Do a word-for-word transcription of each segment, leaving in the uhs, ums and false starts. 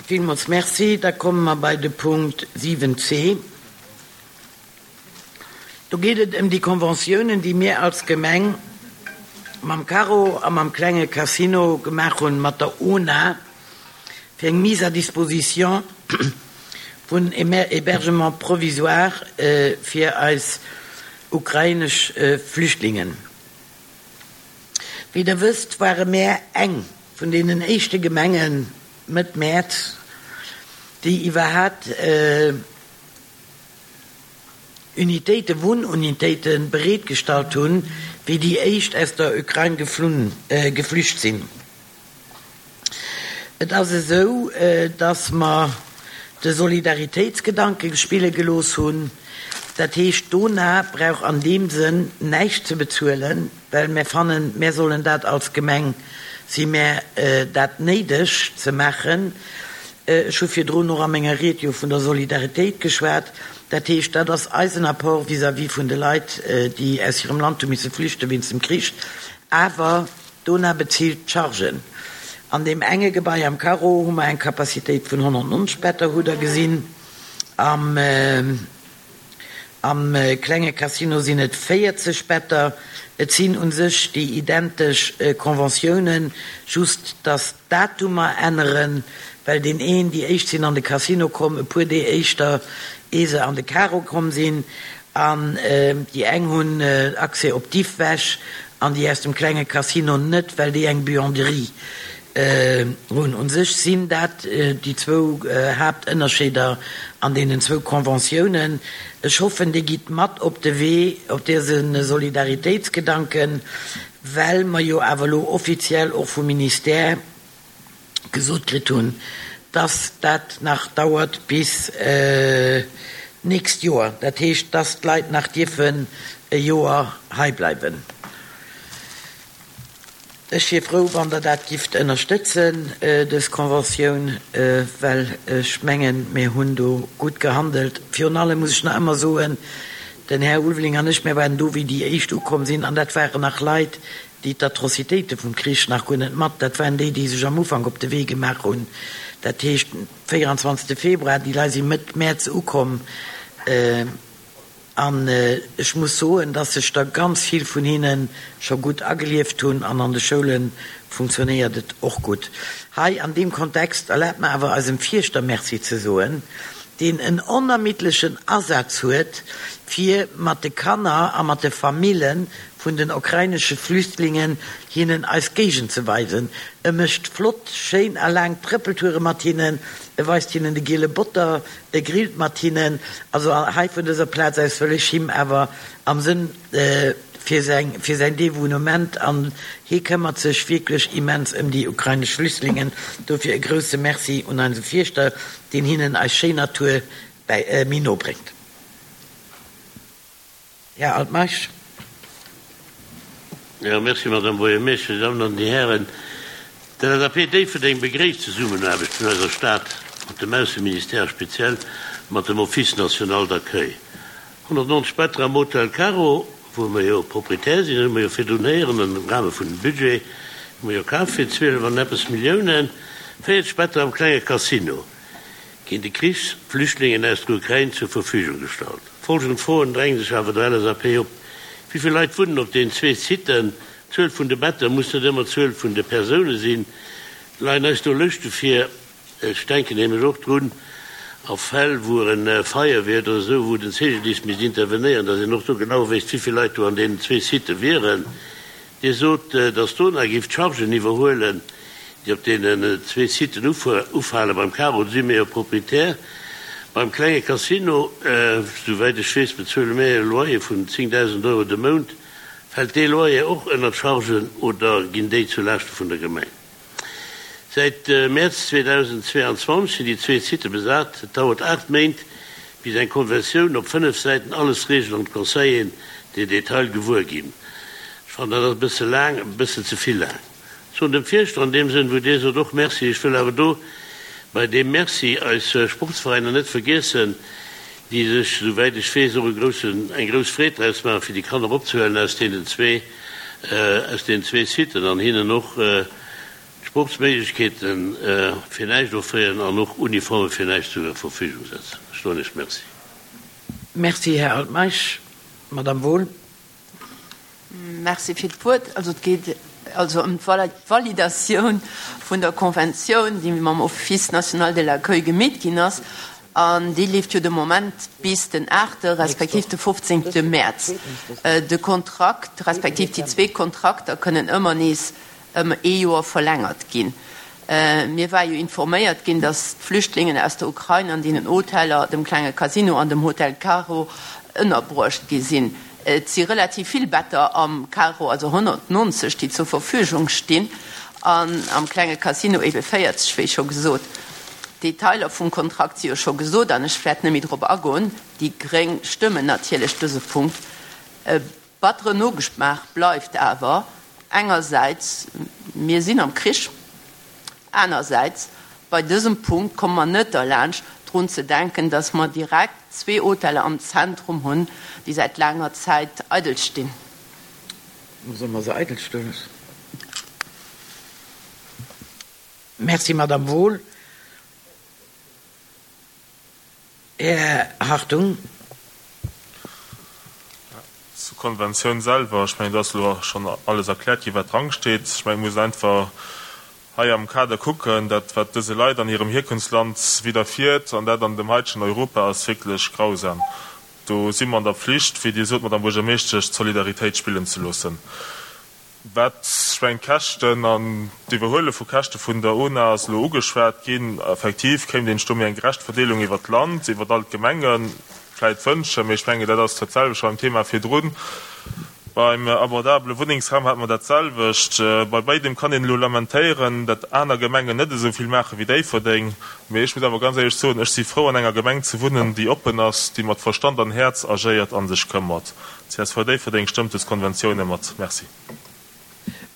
Villmools Merci. Da komme mer bei de Punkt siwen c. Do geet et ëm déi Conventiounen, déi mir als Gemeng mam Carreau a mam klenge Casino gemaach hunn, mat der UNA, fir eng Mise à disposition vun Hébergement provisoire fir eis ukrainesch Flüchtlingen. Wéi Der wësst, ware mär eng vun deenen éischte Gemengen Mëtt Mäerz, déi iwwerhat Unitéite, Wunnunitéite bereetgestallt hunn, wéi déi éischt aus der Ukrain geflunn, geflücht sinn. Et ass esou, dass mer de Solidaritéitsgedanke spille gelooss hunn. Dat heescht, d'ONA brauch an deem Sënn näischt ze bezuelen, well mär fannen, mär sollen dat als Gemeng, si mär dat néideg ze maachen. Ech hu virdrun och a menger Ried jo vun der Solidaritéit geschwat. Dat heescht, dat ass eisen Apport vis-à-vis vun de Leit, déi aus hirem Land hu misse flüchte wéinst dem Krich. Awer d'ONA bezilt d'Chargen. An deem enge Gebai am Carreau hu mer eng Capacitéit vun honnertnonzeg Better, hutt Der gesinn. Am klenge Casino sinn et véierzeg Better. Et sinn u sech déi identesch Conventiounen, just dass d'Datumer änneren, well deen een, déi éischt sinn an de Casino komm, e puer Dee éischter, ee se an de Carreau komm sinn. An déi eng hunn Accès op d'Iffwäsch an déi aus dem klenge Casino net, well déi eng Buanderie hunn. U sech sinn dat déi zwou Haaptënnerscheeder an deenen zwou Conventiounen. Ech hoffen, Dir gitt mat op de Wee, op dëse Solidaritéitsgedanken, well mer jo awer elo offiziell och vum Ministère gesot kritt hunn, dass dat nach dauert bis d'nächst Joer, dat heescht, dass d'Leit nach dierfen e Joer hei bleiwen. Ech wier frou, wann Der dat gifft ënnerstëtzen, dës Conventioun, well ech mengen, mir hunn do gutt gehandelt. Virun allem muss ech nach ëmmer soen, den Här Ulveling an ech, mir waren do, wéi déi éischt ukomm sinn, an dat waren nach Leit, déi d'Atrocitéite vum Krich nach guer net mat, dat waren déi, déi sech am Ufank op de Wee gemaach hunn, dat heescht véieranzwanzegste Februar, déi Leit si Mëtt Mäerz ukomm. An ech muss soen, dass sech der ganz vill vun hinne scho gutt agelieft hunn an an de Schoule funktionéiert et och gutt. Hei an deem Kontext erlaabt mer awer eisem Fierschter Merci ze soen, deen en onermiddlechen Asaz huet, fir mat de Kanner a mat de Famille vun den ukrainesche Flüchtlingen hinnen eis Géigend ze weisen. E mécht flott, schéin a laang Trëppeltoure mat hinnen, e weist hinnen de giele Botter, e grillt mat hinnen. Also hei vun dëser Plaz aus wëll ech him awer am Sënn fir säin, fir säin Devounement, an hie këmmert sech wierklech immens ëm déi ukrainesch Flüchtlingen, dofir e grousse Merci un eise Fierschter, deen hinnen eis schéin Natur bäi, méi no bréngt. Här Altmeisch. Jo, merci, Madame Buergermeeschtesch. Dir Dammen an Dir Hären, d'LSAP Déifferdeng begréisst d'Zesummenaarbecht vun eiser Stad mat dem Ausseministère a speziell mat dem Office national d'accueil. honnertnonzeg Better am Hotel Caro, wou mer jo Proprietär sinn, dat hu mer jo virdrun héieren am Rahme vun dem Budget, hu mer jo kaf fir zwielef an eppes Milliounen, véierzeg Better am klenge Casino ginn de Krichsflüchtlingen aus der Ukrain zur Verfügung gestallt. Folgend Froen dränge sech awer der LSAP op, Wéi vill Leit wunnen op deenen zwee Siten? D'Zuel vun de Better muss net ëmmer d'Zuel vun de Persoune sinn. Leien eis do Lëschte vir? Ech denken nämlech och drun, a Fäll wou e Feier wier oder esou, wou den C G D I S misst intervenéieren, datt een och do genau wéisst, wéi vill Leit do an deenen zwee Sitë wieren. Dir sot, datt d'ONA géif d'Chargen iwwerhuelen, déi op deenen zwee Siten ufalen. Beim Caro si mir jo Proprietär. Beim klenge Casino, souwäit ech weess, bezuele mir e Loyer vun zéngdausend Euro de Mount. Fält dee Loyer och ënner d'Chargen oder ginn déi zu Laaschte vun der Gemeng? Säit Mäerz zweedausendzweeanzwanzeg sinn déi zwee Sitte besat. Et dauert aacht Méint, bis eng Konventioun op fënnef Säiten alles reegelt an d'Conseilleren den Detail gewuer ginn. Ech fannen, dat ass e bësse laang, e bëssen ze vill laang. Soen dem Fierschter an deem Sënn, wou Dir sot, och Merci. Ech wëll awer do bei deem Merci eis Sportsveräiner net vergiessen, déi sech, souwäit ech weess, och e groussen, eng grouss Freed draus maachen, fir déi Kanner opzehuelen aus deenen zwee, aus deenen zwee Siten an hinnen och Sportsméiglechkeete fir näischt offréieren an och Uniforme fir näischt zur Verfügung setzen. Ech soen Iech Merci. Merci, Här Altmeisch. Madame Wohl. Merci fir d'Wuert. Also et geet also ëm d'Validatioun vun der Konventioun, déi mam Office national de l'accueil gemeet ginn ass. An déi leeft jo de Moment bis den aachte respektiv de fofzéngte Mäerz. De Kontrakt respektiv déi zwee Kontrakter kënnen ëmmer nees ëm ee Joer verlängert ginn. Mir war jo informéiert ginn, datt d'Flüchtlingen aus der Ukrain an deenen Hoteller, dem klenge Casino an dem Hotel Caro, ënnerbruecht gi sinn. Et si relativ vill Better am Caro, also honnertnonzeg, déi zur Verfügung stinn, an am klenge Casino ebe véierzeg, wéi scho gesot. D'Detailer vum Kontrakt si jo scho gesot an ech wäert net méi drop agoen. Déi gréng stëmmen natierlech dëse Punkt. E batteren Nogeschmaach bleift awer, engersäits, mir sinn am Krich, anersäits, bei dësem Punkt komme mer net derlaanscht, drun ze denken, dass mer direkt zwee Hoteller am Zentrum hunn, déi säit laanger Zäit eidel stinn. Solle mer se eidel stoe loossen? Merci, Madame Wohl. Här Hartung. Zur Konventioun selwer, ech mengen, do ass elo schonn alles erkläert ginn, wat dransteet. Ech mengen, et muss een einfach hei am Kader kucken, dat wat dëse Leit an hirem Hierkunftsland widderfiert, an dat an dem heitegen Europa, ass wierklech grausam. Do si mer an der Pflicht, wéi Dir sot, Madame Buergermeeschtesch, d'Solidaritéit spillen ze loossen. Wat, ech mengen, d'Käschten an d'Iwwerhuele vu Käschte vun der UNA ass elo ugeschwat ginn. Effektiv kéint een sech do méi eng gerecht Verdeelung iwwert d'Land, iwwert all d'Gemenge vläit wënschen, mee ech mengen, dat ass dat selwecht beim Thema virdrun. Beim abordabele Wunnengsraum hate mer dat selwecht. Bei béidem kann een elo lamentéieren, datt aner Gemengen net esou vill maache wéi Déifferdeng. Mee ech muss awer ganz éierlech soen, ech si frou, an enger Gemeng ze wunnen, déi oppen ass, déi mat Verstand an Häerz agéiert a sech këmmert. Csv Déifferdeng stëmmt dës Konventioune mat. Merci.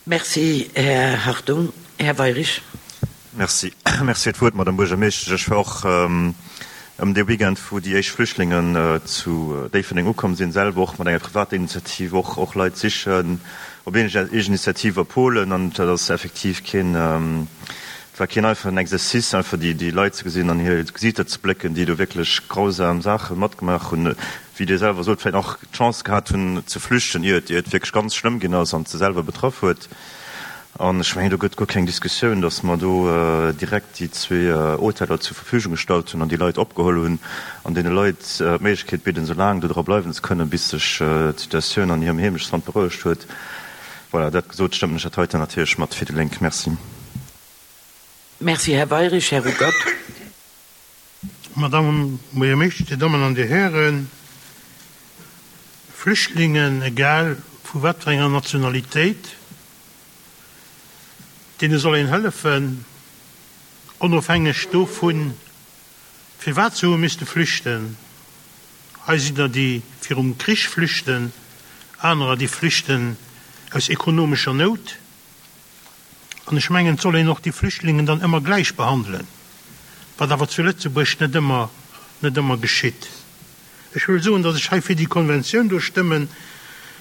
Merci, Här Hartung. Här Weirich. Merci. Merci fir d'Wuert, Madame Buergermeeschtesch. Ech war och ëm dee Weekend, wou déi éischt Flüchtlingen zu Déifferdeng ukomm sinn, selwer och mat enger privater Initiativ och, och Leit sichen, op eegen Initiativ a Polen. An dat ass effektiv keen, et war keen einfachen Exercice, einfach déi, déi Leit ze gesinn an hir Gesiiter ze blécken, déi do wierklech grausam Saache matgemaach hunn, wéi Dir selwer sot, vläicht och d'Chance gehat hunn ze flüchten, ier et, ier et wierklech ganz schlëmm ginn ass an et se selwer betraff huet. An ech mengen, do gëtt guer keng Diskussioun, datt mer do direkt déi zwee Hoteller zur Verfügung gestallt hunn an déi Leit opgeholl hunn an deene Leit d'Méiglechkeet bidden, esou laang do dra bleiwen ze kënnen, bis sech d'Situatioun an hirem Heemechtsland berouegt huet. Voilà, dat gesot, stëmmen ech dat heiten natierlech mat fir déi Lénk. Merci. Merci, Här Weirich. Här Ruckert. Madame Buergermeeschtesch, Dir Dammen an Dir Hären, Flüchtlingen, egal vu wat fir enger Nationalitéit, deene soll een hëllefen, onofhängeg dovun, firwat se hu misste flüchten. Hei sinn der, déi virum Krich flüchten, anerer, déi flüchten aus ekonomescher Nout. An ech mengen, et soll een och déi Flüchtlingen dann ëmmer gläich behandelen, wat awer zu Lëtzebuerg net ëmmer, net ëmmer geschitt. Ech wëll soen, datt ech hei fir déi Konventioun do stëmmen,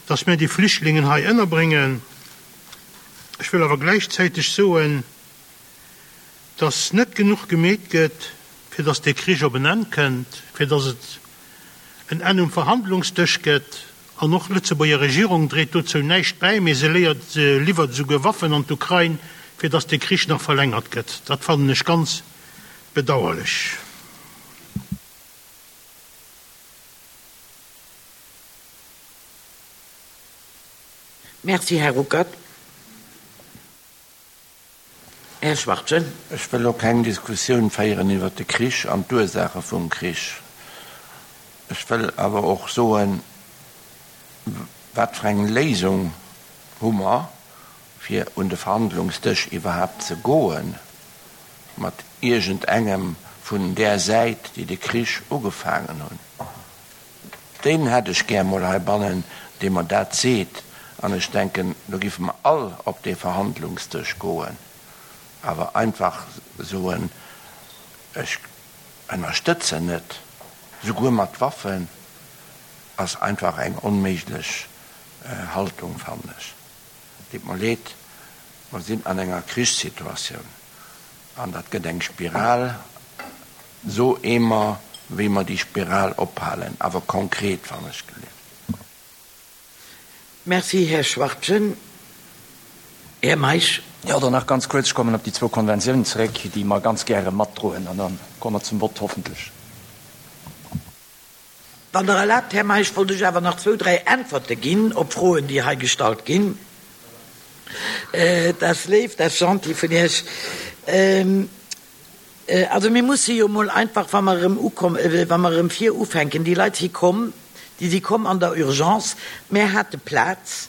datt mir déi Flüchtlingen hei ënnerbréngen. Ech wëll awer gläichzäiteg soen, datt net genuch gemeet gëtt, fir datt dee Krich op en Enn kënnt, fir datt et en Enn um Verhandlungsdësch gëtt. An och d'Lëtzebuerger Regierung dréit dozou näischt bäi, mee se léiert, se liwwert esouguer Waffen an d'Ukrain, fir datt dee Krich nach verlängert gëtt. Dat fannen ech ganz bedauerlech. Merci, Här Ruckert. Här Schwachtgen. Ech wëll elo keng Diskussioun féieren iwwert de Krich an d'Ursaache vum Krich. Ech wëll awer och soen, wat fir eng Léisung hu mer, fir un de Verhandlungsdësch iwwerhaapt ze goe mat iergendengem vun där Säit, déi de Krich ugefaangen hunn. Deen hätt ech gär mol heibannen, dee mer dat seet. An ech denken, do giffe mer all op dee Verhandlungsdësch goen. Awer einfach soen, ech ënnerstëtzen net, souguer mat Waffen, ass einfach eng onméiglech Haltung, fannen ech. Deet mer leed, Mer sinn an enger Krichssituatioun an dat gëtt eng Spiral, so emer wéi mer déi Spiral ophalen, awer konkret, wann ech gelift. Merci, Här Schwachtgen. Här Meisch. Jo, dann nach ganz kuerz, ech kommen op déi zwou Konventiounen zeréck, déi mer ganz gäre matdroen, an da komme mer zum Vott, hoffentlech. Wann Der erlaabt, Här Meisch, wollt ech awer nach zwou, dräi Äntwerte ginn op Froen, déi hei gestallt ginn. Dat ass léif, dat ass gentil vun Iech. Also mir musse jo emol einfach, wa mer erëm ukomm, wa mer erëm vir ufänken, déi Leit si komm, déi si komm an der Urgence, mär hate Plaz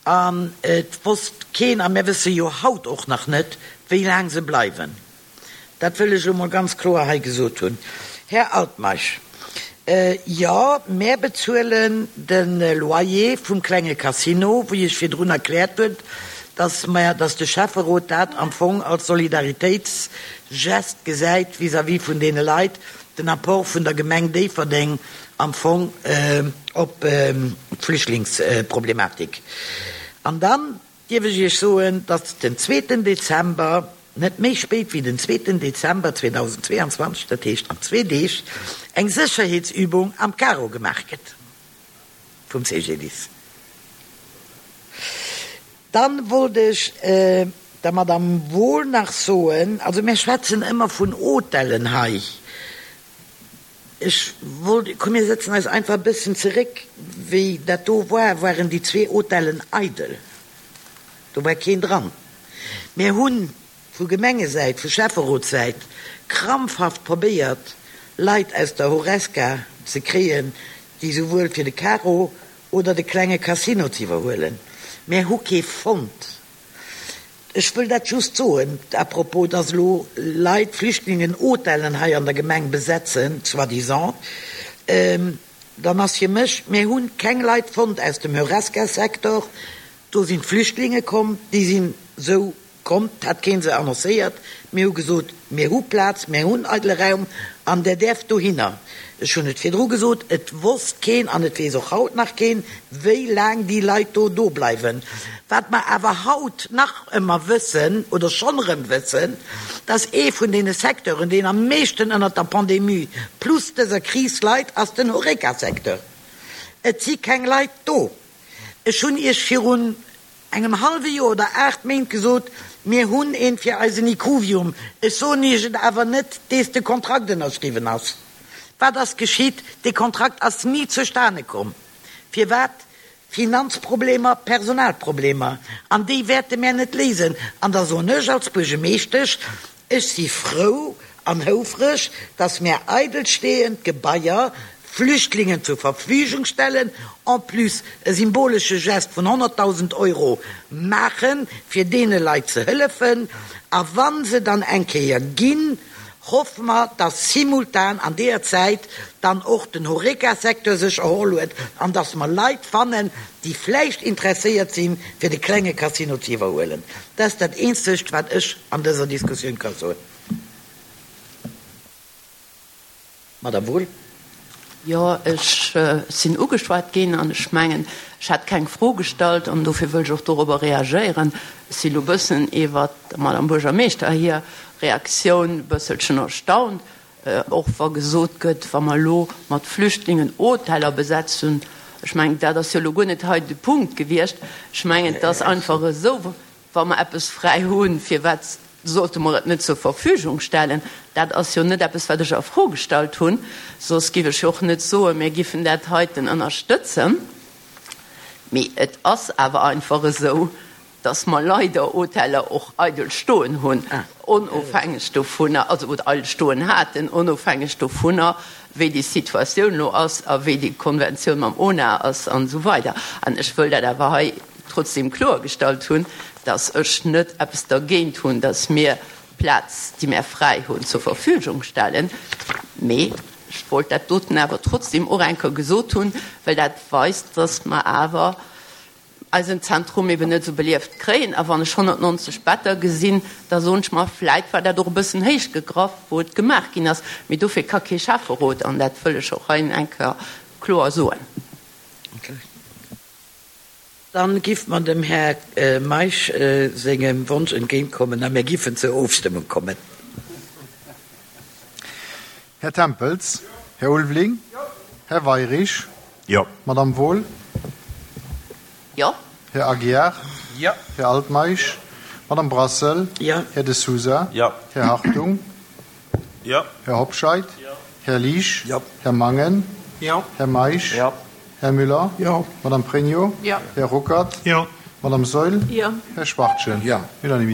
an et wosst keen, a mär wësse jo haut och nach net, wéi laang se bleiwen. Dat wëll ech elo mol ganz kloer hei gesot hunn. Här Altmeisch, jo, mär bezuelen de Loyer vum klenge Casino, wéi ech virdrun erkläert hunn, dass mer, dass de Schäfferot dat am Fong als Solidaritéitsgest gesäit vis-à-vis vun deene Leit, den Apport vun der Gemeng Déifferdeng am Fong op d'Flüchtlingsproblematik. An dann dierf ech Iech soen, dass den zweeten Dezember, net méi spéit wéi den zweeten Dezember zweedausendzweeanzwanzeg, dat heescht an zwee Deeg, eng Sécherheetsübung am Caro gemaach gëtt vum C G D I S. Dann wollt ech der Madame Wohl nach soen, also mir schwätzen ëmmer vun Hotellen hei, ech wollt, komm mir setzen eis einfach e bëssen zeréck, wéi dat do war, waren déi zwee Hotellen eidel, do war keen dran. Mir hu vu Gemengesäit, vu Schäfferotssäit krampfhaft probéiert, Leit aus der Horesca ze kréien, déi souwuel fir de Caro oder de klenge Casino ze iwwerhuelen. Mär hu kee fonnt. Ech wëll dat just soen, à propos, dass elo Leit, Flüchtlingen, Hotellen hei an der Gemeng besetzen, soi-disant, dann ass fir mech, mir hu keng Leit fonnt aus dem Horesca-Secteur, do sinn d'Flüchtlinge komm, déi sinn esou komm, 't hat kee se annoncéiert, mir hu gesot, mir hu Plaz, mir hunn eidele Raum an der däerft dohinner. Ech hunn et virdru gesot, et wosst keen an et weess och haut nach keen, wéi laang déi Leit do do bleiwen. Wat mer awer haut nach ëmmer wëssen oder schonn erëm wëssen, dass ee vun deene Secteuren, deen am meeschten ënnert der Pandemie plus dëser Kris leit, ass den Horeca-Secteur. Et si keng Leit do. Ech hunn Iech virun engem hallwe Joer oder aacht Méint gesot, mir hunn een fir eisen Ikuvium. Ech soen Iech et awer net, dees de Kontrakt ënnerschriwwen ass. Wat ass geschitt? Dee Kontrakt ass ni zustane komm. Firwat? Finanzproblemer, Personalproblemer. An déi wäerte mär net léisen. An da soen ech als Buergermeeschtesch, ech si frou an houfreg, dass mär eidelstehend Gebaier Flüchtlingen zur Verfügung stellen, en plus e symbolesche Gest vun honnertdausend Euro maachen, fir deene Leit ze hëllefen. A wa se dann eng Kéier ginn, hoffe mer, dass simultan an deeër Zäit dann och den Horeca-Secteur sech erholl huet an dass mer Leit fannen, déi vläicht interesséiert sinn, fir de klenge Casino ze iwwerhuelen. Dat ass dat Eenzegt, wat ech an dëser Diskussioun ka soen. Madame Wohl. Jo, ech sinn ugeschwat ginn an ech mengen, ech hat keng Fro gestallt an dofir wëll ech och dorobber reagéieren. Ech si lo bëssen iwwert der Madame Buergermeeschter hir Reaktioun e bësselchen erstaunt, och wa gesot gëtt, wa mer elo mat Flüchtlingen Hoteller besetzen. Ech mengen, dat ass jo elo guer net hei de Punkt gewiescht. Ech mengen, et ass einfach esou, wa mer eppes fräi hunn, firwat sollte mer et net zur Verfügung stellen? Dat ass jo net eppes, wat ech a Fro gestallt hunn, soss giff ech jo och net soen, mir giffen dat heiten ënnerstëtzen. Mee et ass awer einfach esou, dass mer leider Hoteller och eidel stoen hunn, onofhängeg dovunner, also oder eidel stoen haten, onofhängeg dovunner, wéi déi Situatioun elo ass a wéi déi Konventioun mam O N A ass an esou weider. An ech wëll dat awer hei trotzdem kloergestallt hunn, dass ech net eppes dergéint hunn, dass mir Plaz, déi mir fräi hunn, zur Verfügung stellen, mee ech wollt dat doten awer trotzdem och eng Kéier gesot hunn, well dat weist, dass mer awer eisen Zentrum eben net esou belieft kréien. A wann ech honnertnonzeg Better gesinn, da soen ech mer, vläit war dat och e bëssen héich gegraff, wou et gemaach ginn ass. Mee dofir ka kee Schäfferot, an dat wëll ech och hei eng Kéier kloer soen. Dann giff mer dem Här Meisch sengem Wonsch entgéintkommen a mir giffen zur Ofstëmmung kommen. Här Tempels? Här Ulveling? Här Weirich? Jo. Madame Wohl? Jo. Här Aguiar? Jo. Här Altmeisch? Madame Brassel? Jo. Här De Sousa? Jo. Här Hartung? Jo. Här Hobscheit? Jo. Här Liesch? Jo. Här Mangen? Jo. Här Meisch? Jo. Här Müller? Jo. Madame Pregno? Jo. Här Ruckert? Jo. Madame Saeul? Jo. Här Schwachtgen? Jo. Unanimité.